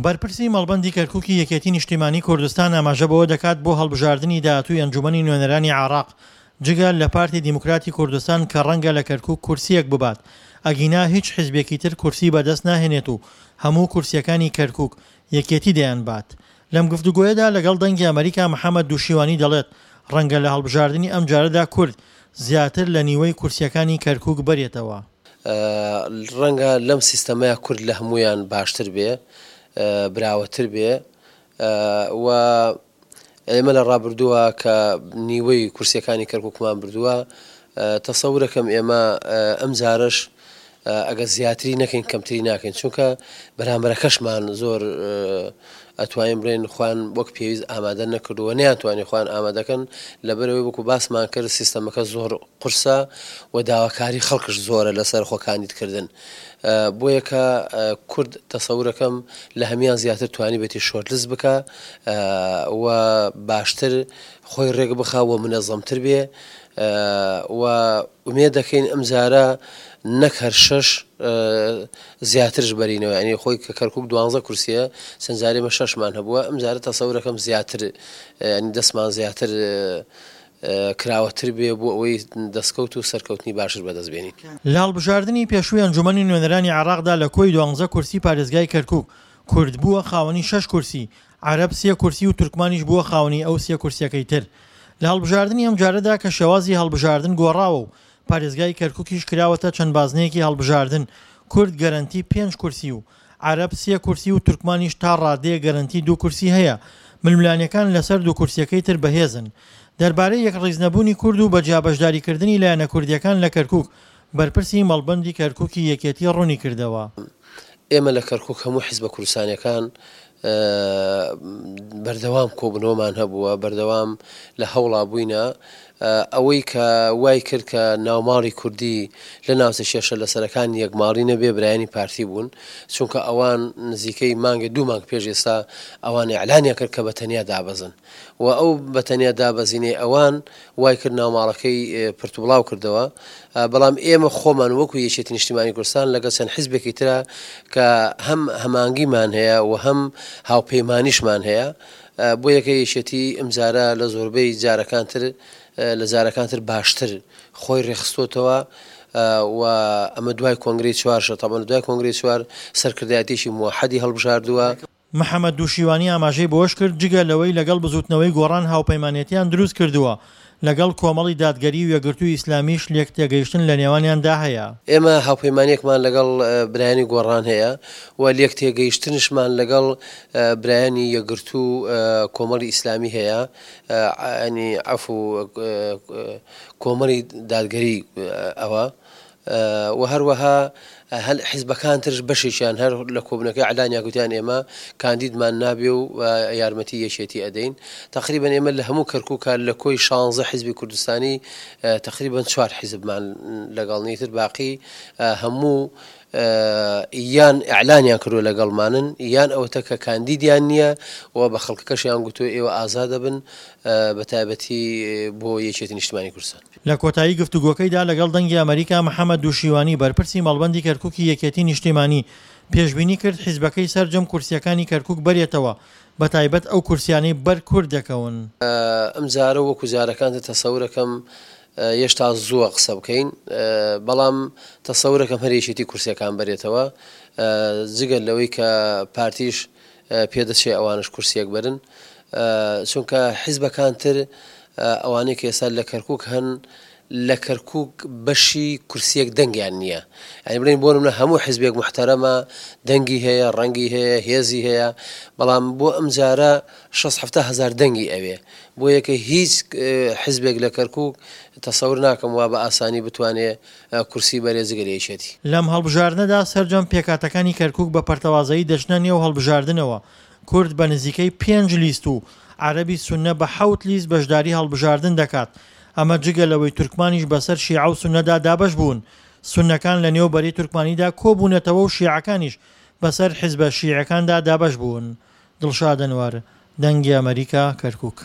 بەرپرسی مەڵبەندی کەرکوکی یەکێتی نیشتیمانی کوردستان ئاماژە بەوە دەکات بۆ هەڵبژاردنی داهاتووی ئەنجومەنی نوێنەرانی عێراق جگە لە پارتی دیموکراتی کوردستان کە ڕەنگە لە کەرکوک کورسییەک ببات ئەگینا هیچ حیزبێکی تر کورسی بەدەست ناهێنێت و هەموو کورسییەکانی کەرکوک یەکێتی دەیانبات. لەم گفتوگۆیەدا لەگەڵ دەنگی ئەمەریکا محەمەد دوشیوانی دەڵێت ڕەنگە لە هەڵبژاردنی ئەمجارەدا کورد زیاتر لە نیوەی کورسییەکانی کەرکوک بەرێتەوە. ڕەنگە لەم سیستەمەیا کورد لە هەموویان باشتر بێ، براوەتر بێ و ئێمە لە ڕابردووە کە نیوەی کورسیەکانی کەرکوکمان بردووە تەسەورەکەم ئێمە ئەم جارەش ئەگەر زیاتری نەکەین کەمتری ناکەین چونکە بەرامبەرەکەشمان زۆر ئەتوانین بڵێن خوان وەک پێویست ئامادە نەکردووە نیانتوانی خوان ئامادەکەن لەبەرەوەی وەکو باسمان کرد سیستەمەکە زۆر قورسە و داواکاری خەڵکش زۆرە لەسەر خۆ کاندیدکردن بۆیە کە کورد تەسەورەکەم لە هەمان زیاتر توانیبێتی شۆرتلست بکە و باشتر خۆی ڕێک بخا و منەزەمتر بێ و ئومێد دەکەین ئەمجارە نەک هەر شەش زیاترش بەرینەوە ینی خۆی کە کەرکک دوانزە کورسیە چەند جارێ مە شەشمان هەبووە ئەمجارە تەسەورەکەم زیاتر ینی دەستمان زیاتر کراوەتر بێ بۆ ئەوەی دەستکەوت و سەرکەوتنی باشتر بەدەست بێنین. لە هەڵبژاردنی پێشووی ئەنجوومەنی نوێنەرانی عێراقدا لە کۆی دوانزە کورسی پارێزگای کەرکوک، کورد بووە خاوەنی شەش کورسی، عەرەب سێ کورسی و تورکمانیش بووە خاوەنی ئەو سێ کورسیەکەی تر. لە هەڵبژاردنی ئەمجارەدا کە شێوازی هەڵبژاردن گۆڕاوە و پارێزگای کەرکوکیش کراوەتە چەند بازنەیەکی هەڵبژاردن، کورد گەرەنتی پێنج کورسی و عەرەب سێ کورسی و تورکمانیش تا ڕادەیەک گەرەنتی دوو کورسی هەیە، ململانێکان لەسەر دوو کورسیەکەی تر بەهێزن. دەربارەی یەکڕیزنەبوونی کورد و بە جیا بەشداریکردنی لایەنە کوردیەکان لە کەرکوک، بەرپرسی مەڵبەندی کەرکوکی یەکێتی ڕوونیکردەوە. ئێمە لە کەرکوک هەموو حیزبە کوردستانیەکان بەردەوام کۆبوونەوەمان هەبووە، بەردەوام لە هەوڵا بووینە، ئەوەی کە وای کرد کە ناوماڵی کوردی لە ناوچە کێشە لەسەرەکان یەکماڵی نەبێ برایانی پارتی بوون، چونکە ئەوان نزیکەی مانگێ دوو مانگ پێش ئێستا ئەوان ئیعلانیان کرد کە بە تەنیا دابەزن و ئەو بە تەنیا دابەزینەی ئەوان وای کرد ناوماڵەکەی پرتوبڵاو کردەوە، بەڵام ئێمە خۆمان وەکو یەکێتی نیشتیمانی کوردستان لەگەڵ چەند حیزبێکی ترا کە هەم هەمانگیمان هەیە و هەم هاوپەیمانیشمان هەیە، بۆیەکە یەکێتی ئمجارە لە زۆربەی جارەکان تر لە جارەکان تر باشتر خۆی ڕێکخستۆتەوە و ئەمە دوای کۆنگرەی چوارشە تەبعەن دوای کۆنگرەی چوار سەرکردایەتیی موەحەدی هەڵبژاردووە. محەمەد دوشیوانی ئاماژەی بەوەشکرد، جگە لەوەی لەگەڵ بزوتنەوەی گۆڕان هاوپەیمانێتیان دروستکردووە، لەگەڵ کۆمەڵی دادگەری و یەکگرتووی ئیسلامیش لێکتێگەیشتن لەنێوانیاندا هەیە. ئێمە هاوپەیمانییەکمان لەگەڵ برایانی گۆڕان هەیە و لێکتێگەیشتنشمان لەگەڵ برایانی یەکگرتوو و کۆمەڵی ئیسلامی هەیە، یانی عەفو کۆمەڵی دادگەری ئەوە. و هەروەها هەل حیزبەکان ترش بەشێکیان هەر لە کۆبوونەکەی ئەعلانیان گوتیان ئێمە کاندیدمان نابێ و یارمەتی یەکێتی ئەدەین تقریبا ئێمە لە هەموو کەرکووکە لە کۆی شانزە حیزبی کوردستانی تقریبا چوار حیزبمان لەگەڵ نیتر باقی هەموو یان ئەعلانیان کردووە لەگەڵمانن یان ئەوەتە کە کاندیدیان نییە و بە خەڵکەکەشیان گوتووە ئێوە ئازادەبن بە تایبەتی بۆ یەکێتی نیشتمانی کوردستان. لە کۆتایی گفتوگۆکەیدا لەگەڵ دەنگی ئەمەریکا محەمەد دوشیوانی بەرپرسی مەڵبەندی کەرکوکی یەکێتی نیشتیمانی پێشبینی کرد حیزبەکەی سەرجەم کورسیەکانی کەرکوک بەرێتەوە بەتایبەت ئەو کورسیانەی بەر کورد دەکەون. ئەمجارە وەکو جارەکان تر تەسەورەکەم یەشتا زووە قسە بکەین بەڵام تەسەورەکەم هەر یەکێتی کورسیەکان بەرێتەوە جگە لەوەی کە پارتیش پێدەچێ ئەوانش کورسیەک بەرن چونکە حیزبەکان تر ئەوانەی کە ئێستا لە کەرکک هەن لە کەرکک بەشی کورسیەک دەنگیان نییە ئەی بڵین بۆ منە هەموو حزبێک محتەرەمە دەنگی هەیە ڕەنگی هەیە هێزی هەیە بەڵام بۆ ئەم جارە 6 هزار دەنگی ئەوێ بۆ یەکە هیچ حزبێک لە کەرکک تەسەور ناکەم وا بە ئاسانی بتوانێ کورسی بەرێ جگە لە یەکێتی. لەم هەڵبژاردنەدا سەرجەم پێکهاتەکانی کەرکوک بە پەرتەوازەیی دەچنە نێو هەڵبژاردنەوە، کورد بە نزیکەی پێنج لیست و عەرەبی سوننە بە حەوت لیست بەشداری هەڵبژاردن دەکات، ئەمە جگە لەوەی تورکمانیش بەسەر شیعە و سوننەدا دابەش بوون، سوننەکان لە نێو بەرەی تورکمانیدا کۆبوونەتەوە و شیعەکانیش بەسەر حزبە شیعەکاندا دابەش بوون. دڵشاد ئەنوەر، دەنگی ئەمەریکا، کەرکوک.